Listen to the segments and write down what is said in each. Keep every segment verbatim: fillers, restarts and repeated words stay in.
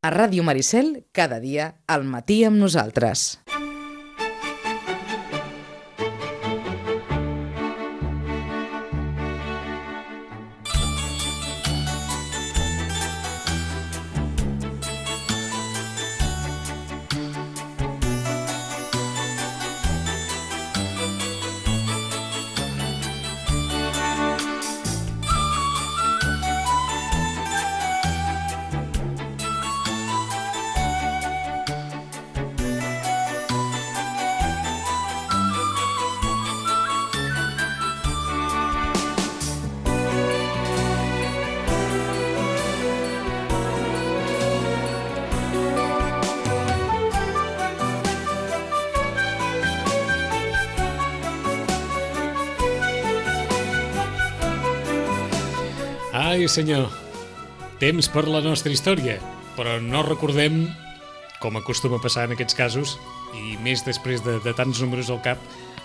A Ràdio Maricel, cada dia, al matí amb nosaltres. Ai, senyor, temps per la nostra història, però no recordem, com acostuma a passar en aquests casos, i més després de, de tants números al cap,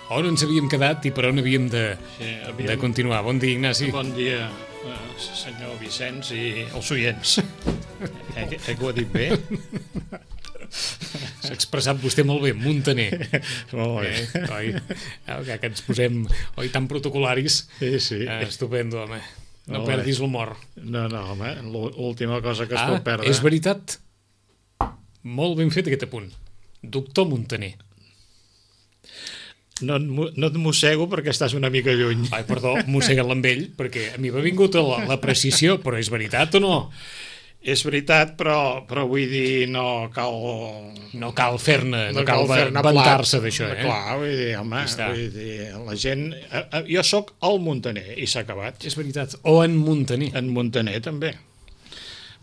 on ens havíem quedat i per on havíem de, sí, havíem... de continuar. Bon dia, Ignasi. Bon dia, senyor Vicenç i els oients. Eh, eh, que ho ha dit bé? S'ha expressat vostè molt bé, Muntaner. Molt bé. Eh, oi? Que ens posem oi, tan protocolaris. Sí, sí. Eh, estupendo, home. No Molt perdis bé. l'humor. No, no, home, l'última cosa que es ah, pot perdre... És veritat. Molt ben fet aquest apunt. Doctor Muntaner. No, no et mossego perquè estàs una mica lluny. Ai, perdó, mossega't amb ell, perquè a mi m'ha vingut la, la precisió, però és veritat o no? És veritat, però, però vull dir, no cal... No cal fer-ne, no, no cal, cal fer-ne vantar-se d'això, eh? Clar, vull dir, home, vull dir, la gent... Jo sóc el Muntaner, i s'ha acabat. És veritat, o en Muntaner. En Muntaner, també.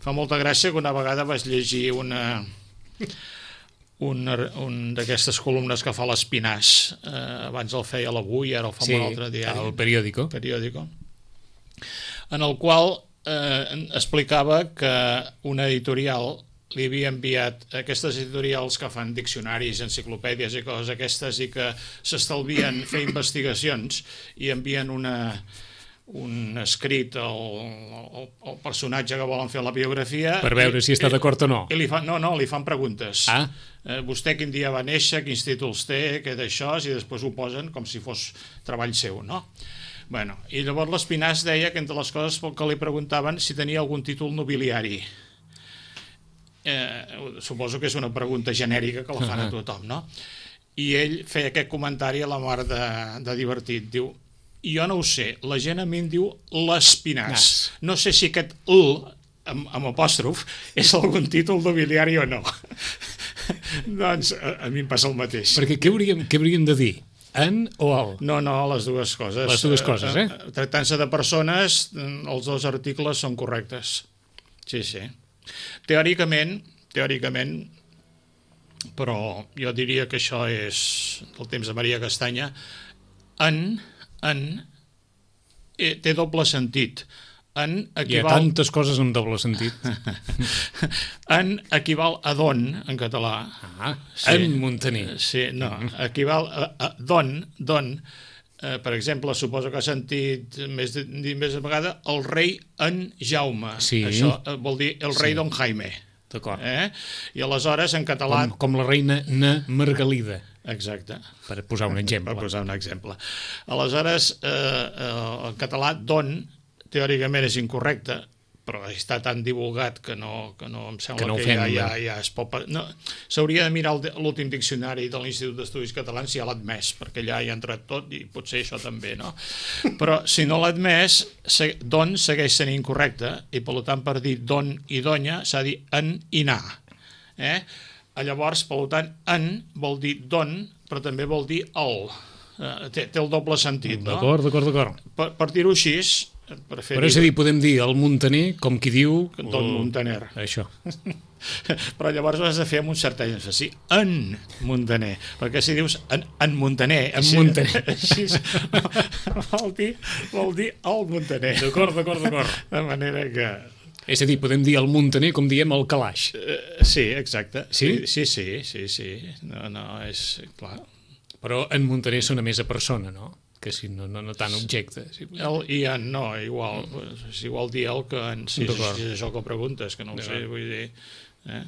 Fa molta gràcia que una vegada vas llegir una... una un d'aquestes columnes que fa l'Espinàs. Eh, abans el feia l'Avui, ara el fa sí, un altre diari. El periòdico. periòdico. En el qual eh, explicava que una editorial li havia enviat aquestes editorials que fan diccionaris, enciclopèdies i coses aquestes i que s'estalvien fer investigacions i envien una, un escrit al, al, al personatge que volen fer la biografia per veure i, si està d'acord o no. I li fan, no, no, li fan preguntes. Ah. Eh, vostè quin dia va néixer, quins títols té, què d'això, i després ho posen com si fos treball seu, no? Bueno, i llavors l'Espinàs deia que entre les coses que li preguntaven si tenia algun títol nobiliari. Eh, suposo que és una pregunta genèrica que la fan a tothom, no? I ell feia aquest comentari a la mar de, de divertit, diu, jo no ho sé, la gent a mi em diu l'Espinàs, no sé si aquest L amb, amb apòstrof és algun títol nobiliari o no. Doncs a, a mi em passa el mateix. Perquè què hauríem, què hauríem de dir? En o al? No, no, les dues coses. Les dues coses, eh? Tractant-se de persones, els dos articles són correctes. Sí, sí. Teòricament, teòricament, però jo diria que això és del temps de Maria Castanya, en, en, eh, té doble sentit. En equival... Hi ha tantes coses amb doble sentit. En equival a don, en català. Ah, sí. En Muntaner. Sí, no, equival a, a don, don. Eh, per exemple, suposo que ha sentit més de, més de vegada el rei en Jaume. Sí. Això eh, vol dir el rei sí. don Jaime. D'acord. Eh? I aleshores, en català... Com, com la reina Na Margalida. Exacte. Per posar un exemple. Per posar un exemple. Aleshores, eh, eh, en català, don, teòricament és incorrecte, però està tan divulgat que no, que no em sembla que, no que fem, ja, ja, ja es pot... No, s'hauria de mirar l'últim diccionari de l'Institut d'Estudis Catalans si ja l'ha admès, perquè allà hi ha entrat tot i potser això també, no? Però si no l'ha admès, don segueix sent incorrecte i per tant per dir don i donya s'ha de dir en i na. Eh? Llavors, per tant, en vol dir don, però també vol dir el. Eh, té, té el doble sentit, no? D'acord, d'acord, d'acord. Per, per dir-ho així... Però és a dir, podem dir el Muntaner com qui diu... Don Muntaner. Això. Però llavors ho has de fer amb un cert èmfasi. En Muntaner. Perquè si dius en, en Muntaner... En així, Muntaner. Així, vol, dir, vol dir el Muntaner. D'acord, d'acord, d'acord. De manera que... És a dir, podem dir el Muntaner com diem el calaix. Uh, sí, exacte. Sí? Sí, sí, sí, sí. No, no, és clar. Però en Muntaner sona més a persona, no? Que si no, no, no tant objecte. Si... El i en no, igual. Mm. És igual dir el que en... Si és, si és això que preguntes, que no ho sé, vull dir... Eh?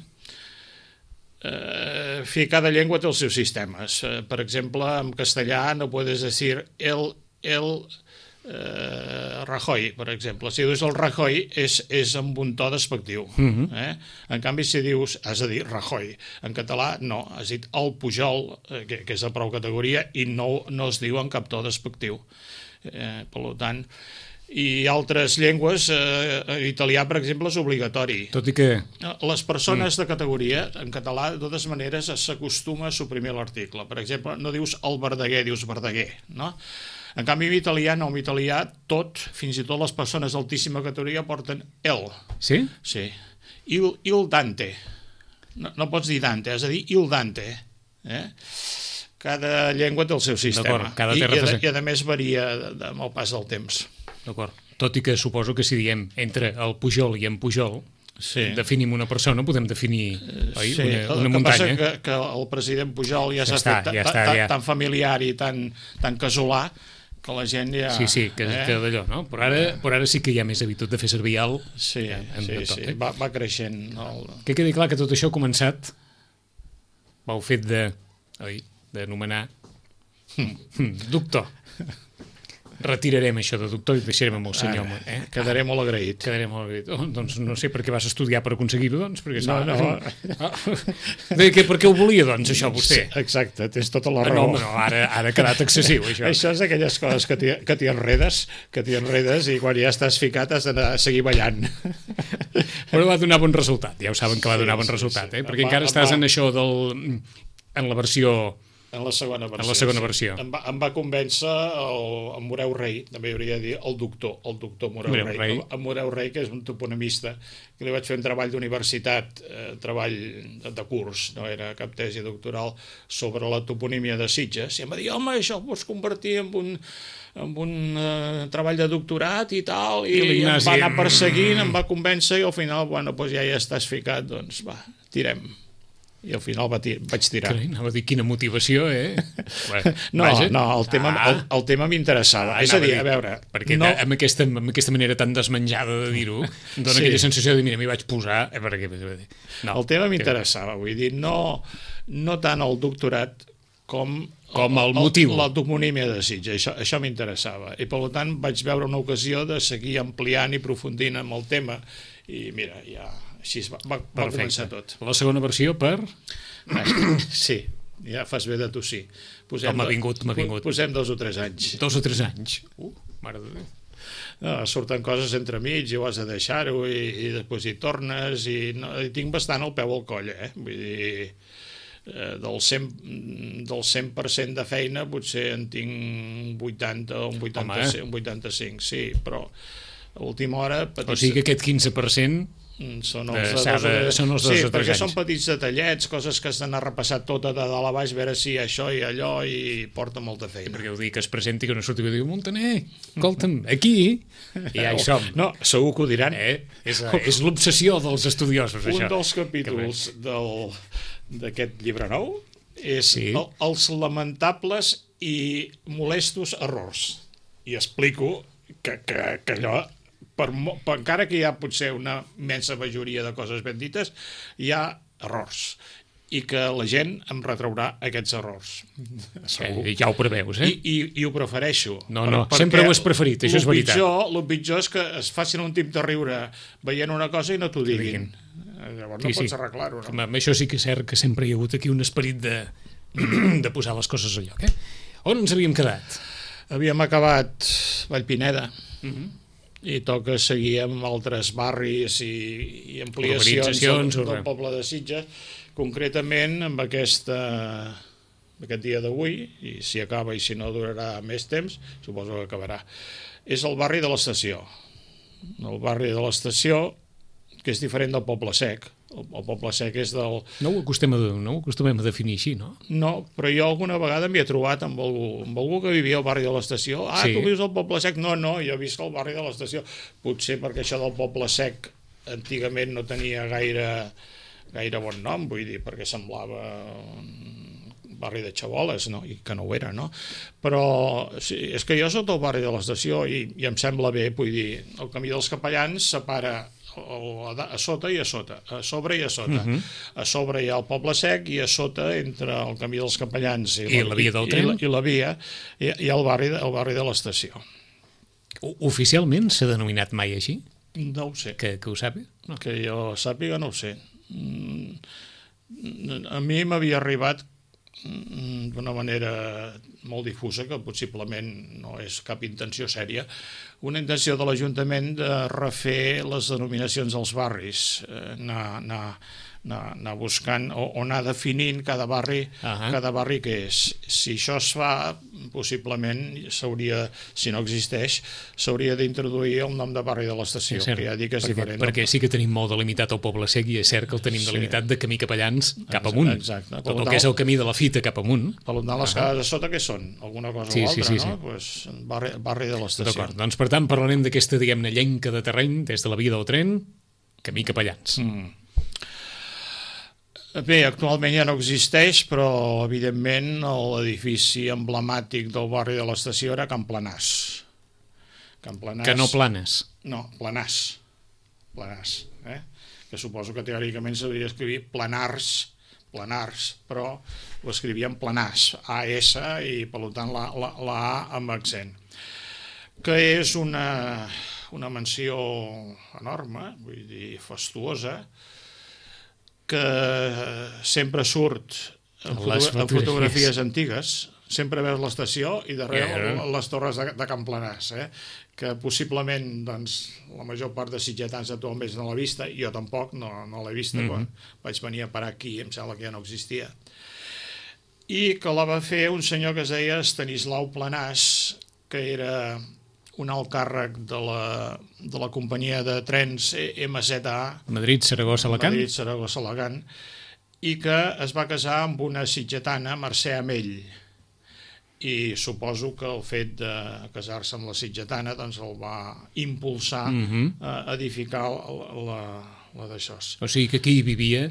Eh, en fi, cada llengua té els seus sistemes. Eh, per exemple, en castellà no puedes decir el, el eh, Rajoy, per exemple. Si dius el Rajoy és, és amb un to despectiu. Uh-huh. eh? En canvi, si dius, has de dir Rajoy. En català, no, has dit el Pujol, eh, que, que és de prou categoria, i no, no es diu en cap to despectiu. Eh, per tant, i altres llengües, eh, italià, per exemple, és obligatori. Tot i que... Les persones mm. de categoria, en català, de totes maneres, s'acostuma a suprimir l'article. Per exemple, no dius el Verdaguer, dius Verdaguer, no? En canvi, en italià, no, en italià, tot, fins i tot les persones d'altíssima categoria porten el. Sí? Sí. Il, il Dante. No, no pots dir Dante, has de dir il Dante. Eh? Cada llengua té el seu sistema. Cada I, i, a, i a més varia amb el pas del temps. D'acord. Tot i que suposo que si diem entre el Pujol i en Pujol, sí. definim una persona, podem definir oi, sí. una, una el muntanya. Que passa que, que el president Pujol ja, ja s'ha fet ja tan, ja. tan familiar i tan, tan casolà que la gent ja... Sí, sí, que, eh? que d'allò, no? Però ara, però ara sí que hi ha més habitud de fer servir el... Sí, en, sí, tot, sí. Eh? Va, va creixent. El... Que quedi clar que tot això ha començat pel fet de, oi, d'anomenar doctor. Retirarem això de doctor i deixarem amb el senyor. Ah, eh? Quedaré molt agraït. Quedaré molt agraït. Oh, doncs no sé per què vas estudiar per aconseguir-ho, doncs. Perquè, no, no. Ah, de què, per què ho volia, doncs, això, vostè? Sí, exacte, tens tota la ah, raó. No, no, ara, ara ha quedat excessiu, això. Això és aquelles coses que t'hi, que t'hi enredes, que t'hi enredes i quan ja estàs ficat has d'anar a seguir ballant. Però va donar bon resultat, ja ho saben que va donar bon sí, resultat, sí, sí. eh? Perquè va, encara estàs va... en això del... en la versió... En la segona versió. En la segona versió. Sí. Em, va, em va convèncer el, el Moreu Rei, també hauria de dir el doctor, el doctor Moreu, Moreu Rei. Rei. El, el Moreu Rei, que és un toponomista, que li vaig fer un treball d'universitat, eh, treball de, de curs, no era cap tesi doctoral, sobre la toponímia de Sitges, i em va dir, home, això ho pots convertir en un, en un eh, treball de doctorat i tal, i, I em va anar perseguint, em va convèncer, i al final, bueno, doncs ja hi estàs ficat, doncs va, tirem. I al final va tir vaig tirar. Carai, anava a dir quina motivació, eh? no, Vaja. no, el tema, ah. el, el tema m'interessava. Ah, és a dir, a veure... Perquè no... amb, aquesta, amb aquesta manera tan desmenjada de dir-ho, dona sí. aquella sensació de, mira, m'hi vaig posar... Eh, perquè... no, el tema m'interessava, vull dir, no, no tant el doctorat com... Com el, el motiu. La toponímia de Sitges, això, això m'interessava. I per tant vaig veure una ocasió de seguir ampliant i aprofundint amb el tema. I mira, ja... Així va, va, va començar tot. La segona versió per... Sí, ja fas bé de tossir. Posem, m'ha vingut, m'ha vingut. Posem dos o tres anys. Dos o tres anys. Uh, mare de Déu. No, surten coses entre mig i ho has de deixar-ho i, i després hi tornes i, no, i tinc bastant el peu al coll, eh? Vull dir, eh, del cent del cent per cent de feina potser en tinc vuitanta o un vuitanta-cinc, un vuitanta-cinc, sí, però a última hora... Petits... O sigui que aquest quinze per cent... Són els, de, de, de, són els dos sí, o tres perquè anys. Són petits detallets, coses que has d'anar a repassar tota de dalt a baix, veure si això i allò, i porta molta feina. Sí, perquè ho dic, que es presenti, que no surti i diu, Montaner, escolta'm, aquí, i ja hi som. No, segur que ho diran. Eh? És, és l'obsessió dels estudiosos, Un això. Un dels capítols d'aquest llibre nou és sí. el, els lamentables i molestos errors. I explico que, que, que allò... Per, per, encara que hi ha potser una immensa majoria de coses ben dites, hi ha errors i que la gent em retraurà aquests errors. Eh, ja ho preveus, eh? I, i, i ho prefereixo. No, no, per, sempre ho has preferit, això és veritat. Pitjor, el pitjor és que es facin un tip de riure veient una cosa i no t'ho diguin. Llavors no sí, pots sí. arreglar-ho, no? Amb això sí que és cert que sempre hi ha hagut aquí un esperit de, de posar les coses a lloc, eh? On ens havíem quedat? Havíem acabat Vallpineda. Mhm. Uh-huh. I toca seguir amb altres barris i, i ampliacions del, del poble de Sitges, concretament amb aquesta, aquest dia d'avui, i si acaba i si no durarà més temps, suposo que acabarà, és el barri de l'Estació. El barri de l'Estació, que és diferent del Poble Sec. El, el Poble Sec és del... No ho, acostem a, no ho acostumem a definir així, no? No, però jo alguna vegada m'hi he trobat amb algú, amb algú que vivia al barri de l'Estació. Ah, sí. Tu vius al Poble Sec? No, no, jo visc al barri de l'Estació. Potser perquè això del Poble Sec antigament no tenia gaire, gaire bon nom, vull dir, perquè semblava un barri de xaboles, no? I que no ho era, no? Però sí, és que jo soc del barri de l'Estació i, i em sembla bé, vull dir, el camí dels Capellans separa a sota i a sota, a sobre i a sota. Uh-huh. A sobre hi ha el Poble Sec i a sota, entre el camí dels Capellans i, I la via del tren? I la, i la via, hi, hi ha el barri, el barri de l'estació. Oficialment s'ha denominat mai així? No ho sé. Que, que ho sàpiga? No. Que jo sàpiga, no ho sé. A mi m'havia arribat d'una manera molt difusa, que possiblement no és cap intenció sèria, una intenció de l'Ajuntament de refer les denominacions dels barris, anar, anar, anar, anar buscant o, o anar definint cada barri, uh-huh. cada barri que és. Si això es fa, possiblement s'hauria, si no existeix, s'hauria d'introduir el nom de barri de l'estació, sí, que ja dic que és perquè, diferent. Perquè sí que tenim molt delimitat el Poble Sec i és cert que el tenim sí. delimitat de camí Capellans cap amunt. Exacte. Tot el que és el camí de la Fita cap amunt. Per tant, les cases de sota què són? Alguna cosa sí, o altra, sí, sí, no? Sí. Pues, barri, barri de l'estació. D'acord, doncs per tant parlarem d'aquesta, diguem-ne, llenca de terreny des de la via del tren, camí Capellans. Mm. Bé, actualment ja no existeix, però evidentment l'edifici emblemàtic del barri de l'estació era Can Planàs. Can Planàs. Que no Planes. No, Planàs. Planàs, eh? Que suposo que teòricament s'hauria d'escriure Planars, Planars, però ho escrivien Planàs, A S, i per tant la, la, la A amb accent. Que és una, una mansió enorme, vull dir, fastuosa, que sempre surt en, fotogra en fotografies antigues, sempre veus l'estació i darrere yeah. les torres de, de Can Planàs, eh? Que possiblement doncs, la major part de sitgetans actualment no l'ha vista, jo tampoc no, no l'he vista, mm-hmm. quan vaig venir a parar aquí em sembla que ja no existia. I que la va fer un senyor que es deia Estanislau Planàs, que era un alt càrrec de la, de la companyia de trens M Z A, Madrid-Saragossa-Alacant, Madrid-Saragossa-Alacant, i que es va casar amb una sitgetana, Mercè Amell. I suposo que el fet de casar-se amb la sitgetana doncs el va impulsar mm-hmm. a edificar la, la, la d'això. O sigui que aquí hi vivia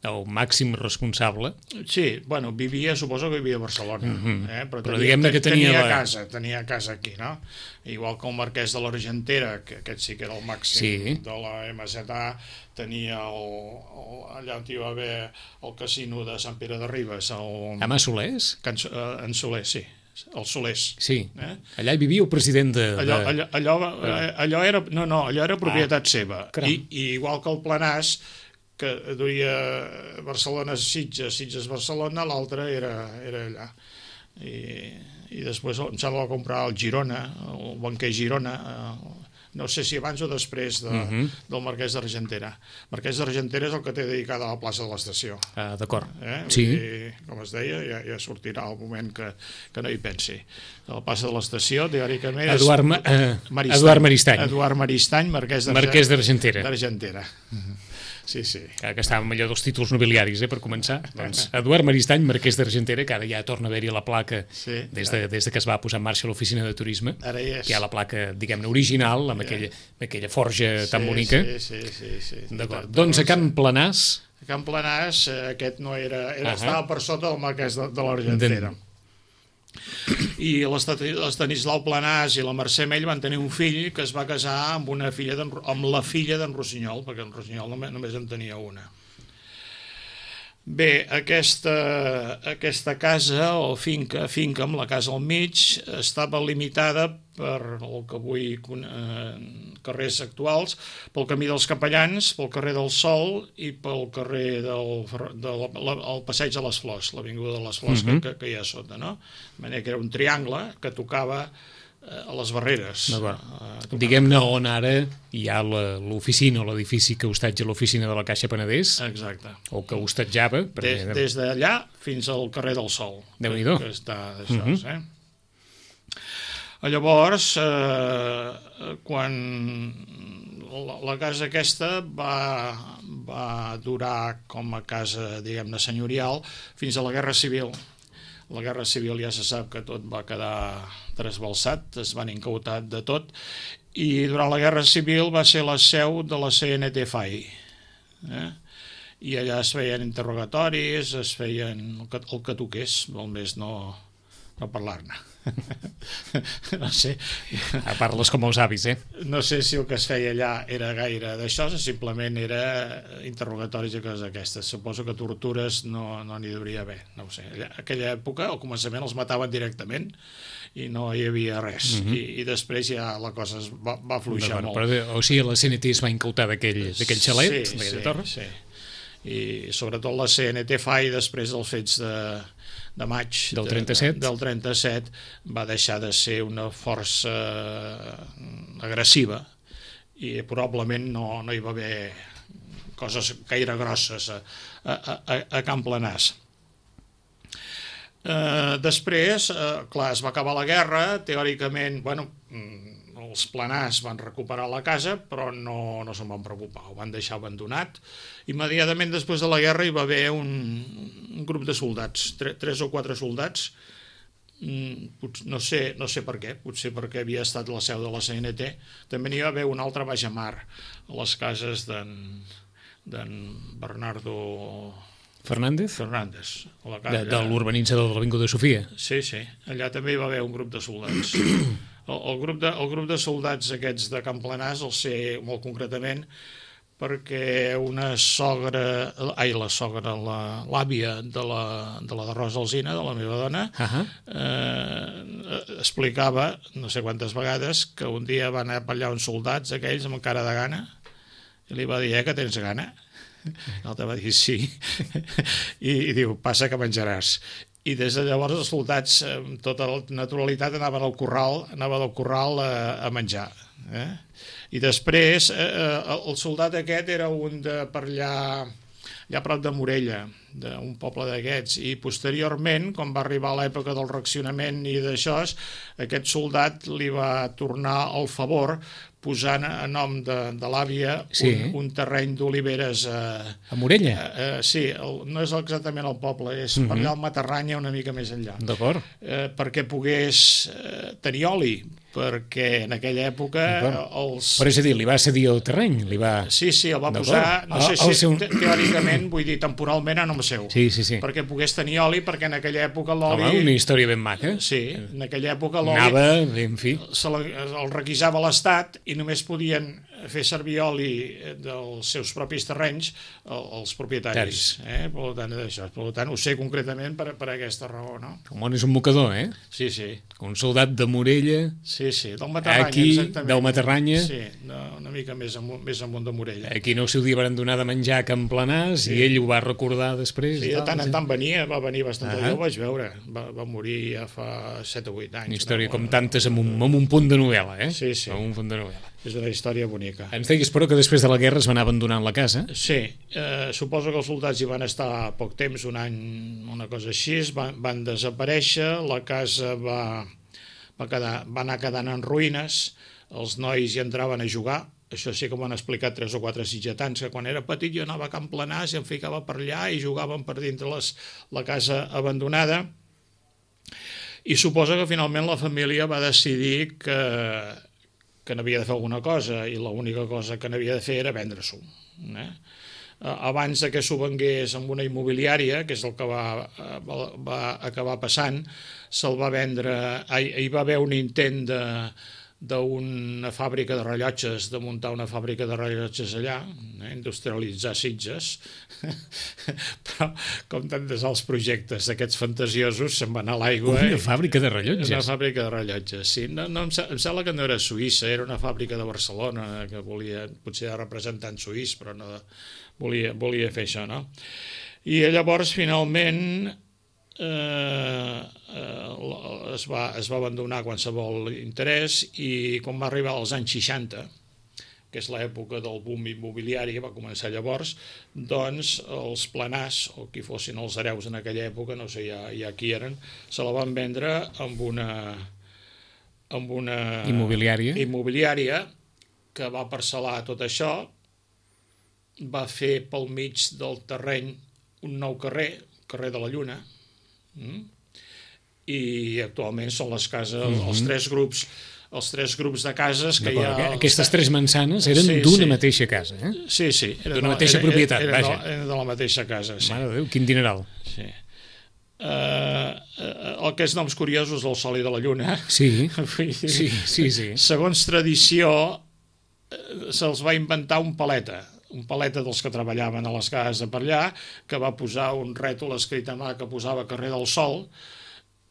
el màxim responsable. Sí, bueno, vivia, suposo que vivia a Barcelona, mm-hmm. eh? però, però tenia, que tenia, tenia la... casa, tenia casa aquí, no? Igual que el marquès de l'Argentera, que aquest sí que era el màxim sí. de la M Z A, tenia el, el, allà on hi va haver el casino de Sant Pere de Ribes, el... Ama Solers? Can, en Solers, sí. El Solers. Sí, eh? Allà hi vivia el president de... Allò, allò, allò, allò era, no, no, allò era propietat ah, seva. I, I igual que el Planàs, que duia Barcelona-Sitges, Sitges-Barcelona, l'altre era, era allà. I, i després em sembla que va comprar el Girona, el banquer Girona, no sé si abans o després de, uh-huh. del Marquès d'Argentera. Marquès d'Argentera és el que té dedicada a la plaça de l'estació. Ah, d'acord. Eh? Sí. I, com es deia, ja, ja sortirà el moment que, que no hi pensi. A la plaça de l'estació, teòricament... Eduard, Ma uh, Maristany. Eduard Maristany. Eduard Maristany, Marquès d'Argentera. D'Argentera. Uh-huh. Sí, sí. Que estàvem allò dels títols nobiliaris, eh, per començar. Doncs Eduard Maristany, Marquès d'Argentera, que ara ja torna a haver-hi la placa sí, des, de, des de que es va posar en marxa l'oficina de turisme. Ara hi és. Que hi ha la placa, diguem-ne, original, amb, yeah. aquella, amb aquella forja sí, tan bonica. Sí, sí, sí. sí. D'acord. Doncs a Can Planàs... A Can Planàs, aquest no era... era uh -huh. estava per sota del Marquès de, de l'Argentera. Den... I l'Estanislau Planàs i la Mercè Amell van tenir un fill que es va casar amb una filla amb la filla d'en Rossinyol, perquè en Rossinyol només, només en tenia una. Bé, aquesta, aquesta casa o finca, finca amb la casa al mig, estava limitada per el que avui eh, carrers actuals, pel camí dels Capellans, pel carrer del Sol i pel carrer del de la, la, el passeig de les Flors, l'avinguda de les Flors uh-huh. que, que hi ha a sota, no? De manera que era un triangle que tocava a les barreres. Uh, Diguem-ne on ara hi ha l'oficina o l'edifici que hostatja l'oficina de la Caixa Penedès. Exacte. O que hostatjava. Des, des d'allà fins al carrer del Sol. Déu-n'hi-do. Que, que està d'això, uh -huh. eh? Llavors, eh, quan la, la casa aquesta va, va durar com a casa, diguem-ne, senyorial fins a la Guerra Civil. La Guerra Civil ja se sap que tot va quedar trasbalsat, es van incautar de tot, i durant la Guerra Civil va ser la seu de la C N T F A I. Eh? I allà es feien interrogatoris, es feien el que, el que toqués, només no, no parlar-ne. No sé. Parles com els avis, eh? No sé si el que es feia allà era gaire d'això, simplement era interrogatoris i coses d'aquestes. Suposo que tortures no n'hi hauria haver, no ho sé. En aquella època, al començament, els mataven directament i no hi havia res. Mm-hmm. I, I després ja la cosa es va, va fluixar molt. Però, o sigui, la C N T es va incautar d'aquell xalet, sí, d'aquella sí, torre? Sí, i sobretot la C N T F A I, després dels fets de, de maig del trenta-set. De, del trenta-set, va deixar de ser una força agressiva i probablement no, no hi va haver coses gaire grosses a, a, a, a Can Planàs. Eh, després, eh, clar, es va acabar la guerra, teòricament, bueno, els Planàs van recuperar la casa, però no, no se'n van preocupar, ho van deixar abandonat. Immediatament després de la guerra hi va haver un, un grup de soldats, tre, tres o quatre soldats, no sé, no sé per què, potser perquè havia estat la seu de la C N T, també n'hi va haver un altre baix a mar, a les cases d'en Bernardo Fernández? Fernández. A la casa, de, de l'urbanitzador de l'Avinguda Sofia? Sí, sí, allà també hi va haver un grup de soldats. El, el, grup de, el grup de soldats aquests de Can Planàs el sé molt concretament perquè una sogra, ai, la sogra, l'àvia de la, de la de Rosa Alsina, de la meva dona, uh-huh. eh, explicava, no sé quantes vegades, que un dia van anar per allà uns soldats aquells amb cara de gana i li va dir, eh, que tens gana? L'altre va dir, sí. I, i diu, passa que menjaràs. I des de llavors els soldats amb tota la naturalitat anaven al corral, anaven al corral a, a menjar. Eh? I després eh, el soldat aquest era un de per allà, allà a prop de Morella, d'un poble d'aquests, i posteriorment, quan va arribar l'època del reaccionament i d'això, aquest soldat li va tornar el favor posant a nom de, de l'àvia sí. un, un terreny d'oliveres a, a Morella? A, a, sí, el, no és exactament el poble, és mm-hmm. per allà al Matarranya una mica més enllà. D'acord. Eh, perquè pogués eh, tenir oli, perquè en aquella època els... Però és a dir, li va cedir el terreny? Li va... Sí, sí, el va posar, no sé si seu... teòricament, vull dir, temporalment a nom seu, sí, sí, sí. perquè pogués tenir oli, perquè en aquella època l'oli... Home, una història ben maca. Sí, en aquella època l'oli... Anava, en fi... Se la, el requisava l'Estat i només podien fer servir oli dels seus propis terrenys els propietaris. Eh? Per tant, això. Per tant, ho sé concretament per, per aquesta raó, no? El món és un mocador, eh? Sí, sí. Un soldat de Morella... Sí, sí, del Matarranya, aquí, exactament. Del Matarranya. Sí, una mica més amunt, més amunt de Morella. Aquí no el seu dia van donar de menjar a Can Planàs sí. i ell ho va recordar després. Sí, de tant en tant venia, va venir bastant, ah. jo ho vaig veure. Va, va morir ja fa set o vuit anys. Una història no? com tantes amb un, amb un punt de novel·la, eh? Sí, sí. Amb un punt de novel·la. És una història bonica. Ens deies, però, que després de la guerra es van anar abandonant la casa? Sí, eh, suposo que els soldats hi van estar poc temps, un any, una cosa així, van, van desaparèixer, la casa va, va, quedar, va anar quedant en ruïnes, els nois hi entraven a jugar, això sí que m'ho han explicat tres o quatre sitgetans, que quan era petit jo anava a Can Planàs i em ficava per allà i jugaven per dintre les, la casa abandonada, i suposo que finalment la família va decidir que que n'havia de fer alguna cosa i l'única cosa que n'havia de fer era vendre-s'ho. Eh? Abans que s'ho vengués amb una immobiliària, que és el que va, va, va acabar passant, se'l va vendre, hi va haver un intent de d'una fàbrica de rellotges, de muntar una fàbrica de rellotges allà, eh, industrialitzar Sitges, però com tantes els projectes d'aquests fantasiosos se'n van a l'aigua. Una eh? fàbrica de rellotges? Una fàbrica de rellotges, sí. No, no, em, em sembla que no era suïssa, era una fàbrica de Barcelona, que volia, potser era representant suís, però no volia, volia fer això, no? I llavors, finalment, Eh, eh, es, va, es va abandonar qualsevol interès i quan va arribar als anys seixanta, que és l'època del boom immobiliari, va començar llavors, doncs els Planàs, o qui fossin els hereus en aquella època, no sé ja, ja qui eren, se la van vendre amb una, amb una immobiliària. immobiliària que va parcel·lar tot això, va fer pel mig del terreny un nou carrer, carrer de la Lluna, Mm. i actualment són les cases, mm-hmm. els tres grups els tres grups de cases que hi ha... Aquestes tres mansanes eren sí, d'una sí. mateixa casa, eh? Sí, sí. D'una mateixa era, propietat, era, vaja. Era de la mateixa casa, sí. Mare de Déu, quin dineral. Sí. eh, el que és noms curiosos del Sol i de la Lluna. Sí, sí, sí, sí. Segons tradició, se'ls va inventar un paleta, un paleta dels que treballaven a les cases de per allà, que va posar un rètol escrit a mà que posava carrer del Sol.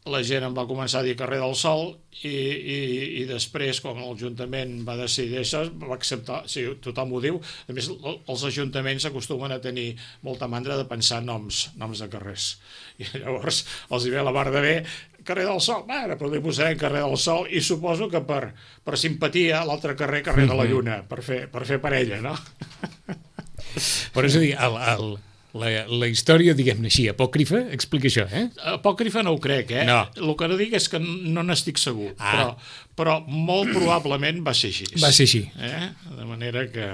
La gent em va començar a dir carrer del Sol i, i, i després, quan l'Ajuntament va decidir això, va acceptar, sí, tothom ho diu. A més, els ajuntaments acostumen a tenir molta mandra de pensar noms, noms de carrers. I llavors els hi ve la mar de bé, carrer del Sol, ara, però li posarem carrer del Sol, i suposo que per, per simpatia l'altre carrer, carrer de la Lluna, per fer, per fer parella, no? Però és a dir, el... el... La, la història, diguem-ne així, apòcrifa, explica això, eh? Apòcrifa no ho crec, eh? No. El que no dic és que no n'estic segur, ah. però, però molt probablement va ser així. Va ser així. Eh? De manera que...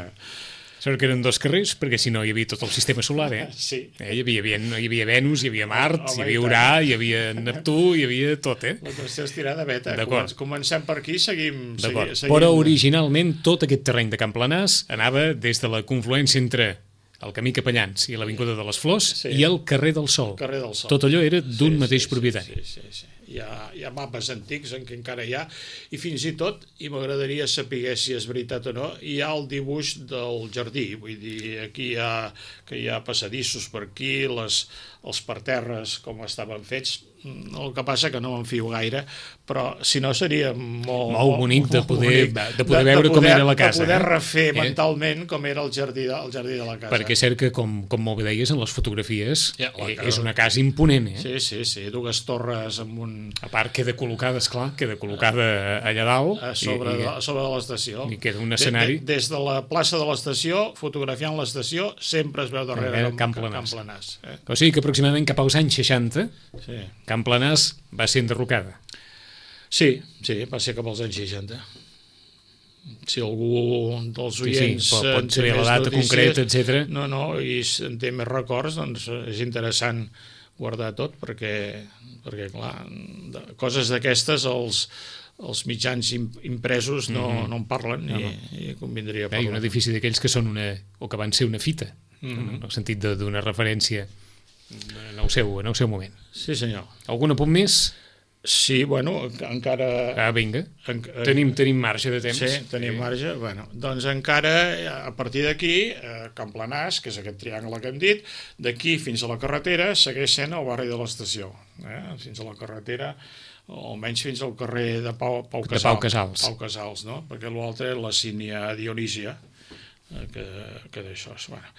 Sort que eren dos carrers, perquè si no hi havia tot el sistema solar, eh? Sí. eh hi, havia, hi, havia, hi havia Venus, hi havia Mart, Home, hi havia Urà, hi havia Neptú, hi havia tot, eh? La qüestió és tirar de veta. D'acord. Comencem per aquí, seguim... D'acord. Seguim... Però originalment tot aquest terreny de Camplanàs anava des de la confluència entre el camí Capellans i l'Avinguda de les Flors sí. i el carrer del Sol. El carrer del Sol. Tot allò era d'un sí, mateix sí, propietari. Sí, sí, sí. Hi ha, hi ha mapes antics en què encara hi ha, i fins i tot, i m'agradaria saber si és veritat o no, hi ha el dibuix del jardí, vull dir, aquí hi ha, que hi ha passadissos per aquí, les, els parterres com estaven fets, el que passa que no me'n fio gaire, però si no seria molt... Molt bonic de poder, bonic. de poder veure de, de poder, com era la casa. De poder refer eh? mentalment com era el jardí de, el jardí de la casa. Perquè és cert que, com, com molt bé deies, en les fotografies ja, eh, és una casa imponent, eh? Sí, sí, sí, dues torres amb un... A part queda col·locada, esclar, queda col·locada allà dalt. A sobre, i, de, a sobre de l'estació. I queda un escenari. De, de, des de la plaça de l'estació, fotografiant l'estació, sempre es veu darrere eh, Camp Camplanàs. Camplanàs eh? O sigui que aproximadament cap als anys seixanta, sí. Camplanàs va ser enderrocada. Sí, sí, va ser cap als anys seixanta. Si algú dels oients... Sí, sí, pot, pot saber la data notícies, concreta, etcètera. No, no, i en té més records, doncs és interessant guardar tot, perquè, perquè clar, de, coses d'aquestes els, els mitjans impresos no, mm-hmm. no en parlen no, no. I, i convindria parlar. Hi ha un edifici d'aquells que són una, o que van ser una fita, mm-hmm. en el sentit d'una referència en el, seu, en el seu moment. Sí, senyor. Algun apunt més? Sí, bueno, encara... Ah, vinga, en, tenim, tenim marge de temps. Sí, tenim sí. marge. Bueno, doncs encara, a partir d'aquí, eh, Camplanàs, que és aquest triangle que hem dit, d'aquí fins a la carretera segueix sent el barri de l'estació. Eh? Fins a la carretera, o almenys fins al carrer de Pau, Pau Casals. De Pau Casals. Pau Casals, no? Perquè l'altre és la sínia Dionísia, que, que d'això és... Bueno.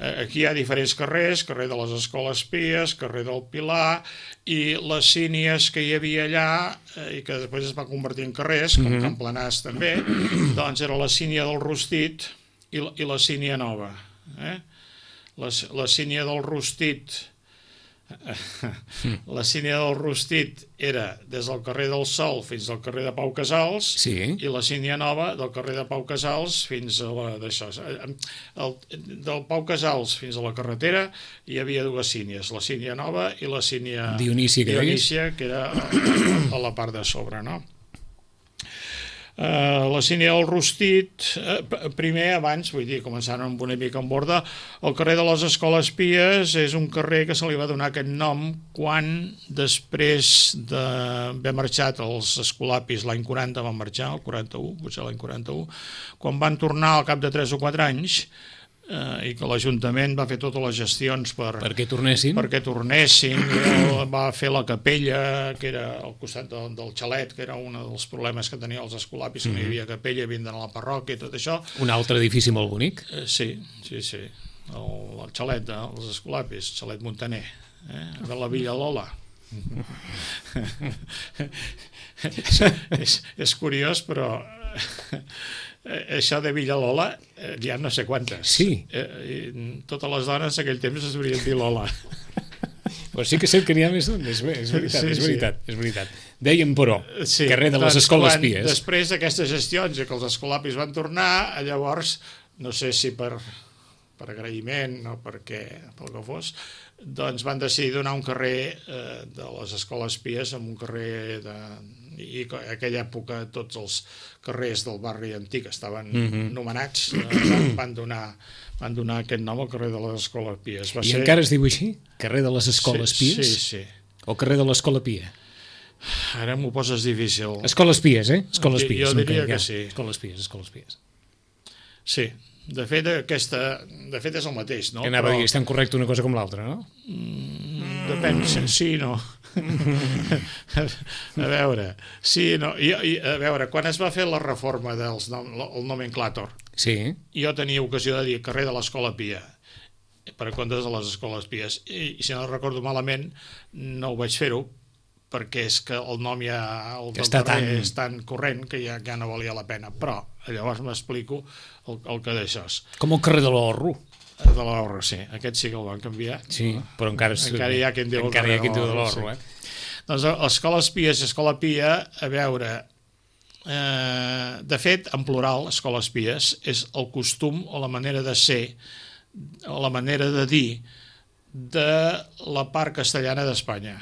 Aquí hi ha diferents carrers, carrer de les Escoles Pies, carrer del Pilar, i les sínies que hi havia allà, i que després es va convertir en carrers, com mm-hmm. Camplanàs també, doncs era la sínia del Rostit i la, i la sínia nova. Eh? La, la sínia del Rostit... La sínia del Rostit era des del carrer del Sol fins al carrer de Pau Casals sí. i la sínia nova del carrer de Pau Casals fins a la d'això. El, del Pau Casals fins a la carretera hi havia dues sínies, la sínia nova i la sínia Dionísia, que, Dionísia, que era a, a la part de sobre, no? Uh, la sínia del Rostit, uh, primer, abans, vull dir, començant amb una mica en borda, el carrer de les Escoles Pies és un carrer que se li va donar aquest nom quan, després d'haver marxat els escolapis, l'any quaranta van marxar, el quaranta-u, potser l'any quaranta-u, quan van tornar al cap de tres o quatre anys, eh, i que l'Ajuntament va fer totes les gestions per, perquè tornessin, perquè tornessin va fer la capella que era al costat del, del xalet, que era un dels problemes que tenia els escolapis, que mm-hmm. no hi havia capella, havien d'anar a la parròquia i tot això. Un altre edifici molt bonic. Eh, sí, sí, sí, el, el xalet dels escolapis, xalet Montaner, eh, de la Villa Lola. és, és curiós, però això de Villalola eh, ja no sé quantes. Sí. Eh, totes les dones en aquell temps es deurien dir Lola. Però sí que sé que n'hi ha més d'un, és, és veritat, sí, és veritat, sí. és veritat. Dèiem, però, sí, carrer de les doncs, Escoles quan, Pies. Després d'aquestes gestions i que els escolapis van tornar, llavors, no sé si per, per agraïment o perquè, pel que fos, doncs van decidir donar un carrer eh, de les Escoles Pies amb un carrer de... i en aquella època tots els carrers del barri antic estaven mm-hmm. nomenats, eh, van, donar, van donar aquest nom al carrer de les Escoles Pies. Va I ser... encara es diu així? Carrer de les Escoles sí, Pies? Sí, sí. O carrer de l'Escola Pia? Ara m'ho poses difícil. Escoles Pies, eh? Escoles Jo- Pies. jo no diria entenc, que ja. sí. Escoles Pies, Escoles Pies. Sí, de fet, aquesta, de fet és el mateix, no? Que anava Però- a dir, és tan correcte una cosa com l'altra, no? Depèn, sí, sí no. A veure, sí, no. I, i, a veure, quan es va fer la reforma del el nomenclàtor, Sí. jo tenia ocasió de dir carrer de l'Escola Pia, per a comptes de les escoles pies. I, i si no recordo malament, no ho vaig fer-ho, perquè és que el nom ja el Que del està carrer tan- és tan corrent que ja, ja no valia la pena. Però llavors m'explico el, el que d'això és. Com el carrer de l'Orro. De l'Orro, sí. Aquest sí que el van canviar. Sí, però encara... és- Encara hi ha qui en diu el encara hi ha carrer qui en diu de de l'Orro, l'Orro, sí. eh? Doncs escoles pies i escola pia, a veure, eh, de fet, en plural, escoles pies, és el costum o la manera de ser, o la manera de dir de la part castellana d'Espanya.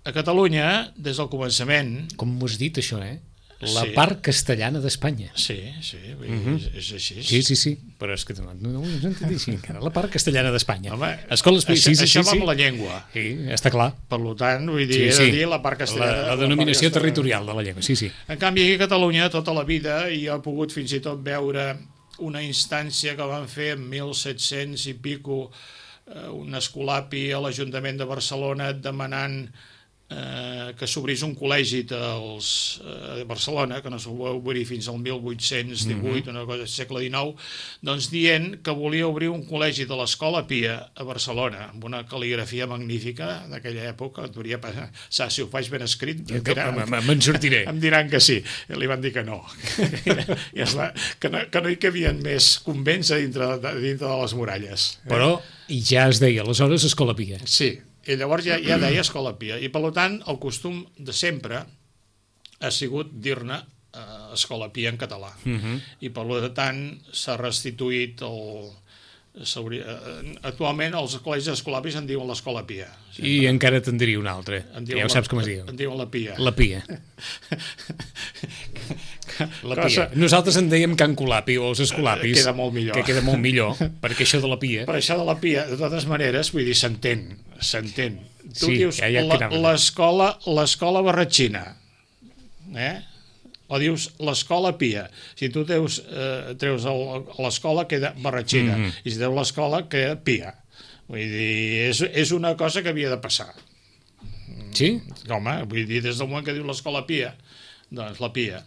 A Catalunya, des del començament, Com m'ho has dit, això, eh? La Sí. part castellana d'Espanya. sí, sí, vull dir, és, és així. Sí, sí, sí, però és que no, no, no ho he sentit així encara. La part castellana d'Espanya. Home, Escoles Pies, això, sí, sí, això sí, va sí. amb la llengua. Sí, està clar. Per tant, vull dir, Sí, he sí. de dir la part castellana. La, la part denominació castellana. territorial de la llengua, sí, sí. En canvi, aquí a Catalunya, tota la vida, i jo he pogut fins i tot veure una instància que van fer en mil set-cents i pico, eh, un escolapi a l'Ajuntament de Barcelona demanant eh, que s'obrís un col·legi dels, eh, de Barcelona, que no s'ho va obrir fins al mil vuit-cents divuit, una cosa del segle dinou, doncs dient que volia obrir un col·legi de l'Escola Pia a Barcelona, amb una cal·ligrafia magnífica d'aquella època, et hauria passat, si ho faig ben escrit, em diran- Me- me- Me'n sortiré. em diran que sí. I li van dir que no. I és la, que, no que no hi cabien més convents a dintre, de, dintre de les muralles. Però ja es deia, aleshores, Escola Pia. Sí, i llavors ja, ja deia Escola Pia. I per tant, el costum de sempre ha sigut dir-ne eh, Escola Pia en català. I per tant s'ha restituït el... s'hauria- eh, Actualment els col·legis escolapis en diuen l'Escola Pia. I encara te'n diria un altre, En que diuen ja ho la- saps com es diu. En diuen la Pia. La Pia. La Cosa- Pia. Nosaltres en dèiem Can Colapi o els Escolapis. Queda molt millor. Que queda molt millor, perquè això de la Pia... Per això de la Pia, de totes maneres, vull dir, s'entén, s'entén. Tu Sí, dius ja- ja la- quedava. l'escola l'escola barratxina, eh? O dius l'escola Pia. Si tu teus, eh, treus el- l'escola, queda barratxina. Mhm. I si treus l'escola, queda Pia. Vull dir, és, és una cosa que havia de passar. Sí? Home, vull dir, des del moment que diu l'escola Pia, doncs la Pia.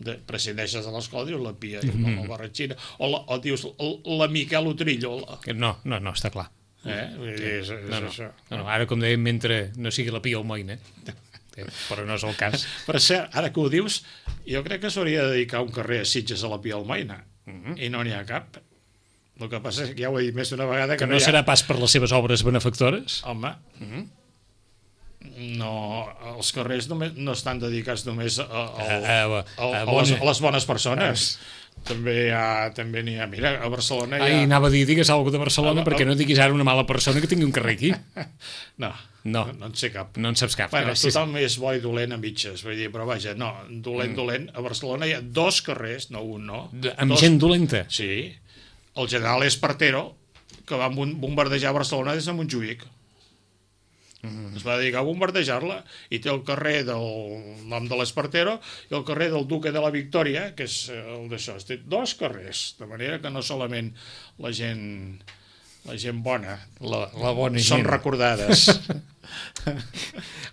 De, prescindeixes de l'escola, dius la Pia, mm -hmm. la barratxina, o, la, o dius la, la Miquel Utrillo, la, No, no, no, està clar. eh? Vull dir, és, és No, no, això. no, no, ara, com dèiem, mentre no sigui la Pia Almoina, eh, però no és el cas. Per cert, ara que ho dius, jo crec que s'hauria de dedicar un carrer a Sitges a la Pia Almoina, i no n'hi ha cap. El que passa és que ja ho he dit més d'una vegada que, Que no hi ha... serà pas per les seves obres benefactores? Home, no, els carrers només, no estan dedicats només a, a, A- a- a, a a, bona- les, a les bones persones. També hi ha, també n'hi ha, mira, a Barcelona hi ha... Ai, anava a dir, digues alguna cosa de Barcelona, Ah, perquè ah. no diguis ara una mala persona que tingui un carrer aquí. No, No. no, no en sé cap. No en saps cap, Bueno, gràcies. tothom és bo i dolent a mitges, vull dir, però vaja, no, dolent, mm. dolent. A Barcelona hi ha dos carrers, no un, no. De- Amb dos, gent dolenta. Sí. El general Espartero, que va bom- bombardejar Barcelona des de Montjuïc. Mm. Es va dedicar a bombardejar-la, i té el carrer del nom de l'Espartero i el carrer del Duque de la Victòria, que és eh, el d'això. Té dos carrers, de manera que no solament la gent... la gent bona, La, la bona són gent. recordades.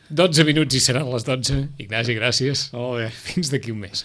dotze minuts i seran les dotze. Ignasi, gràcies. Molt bé. Fins d'aquí un mes.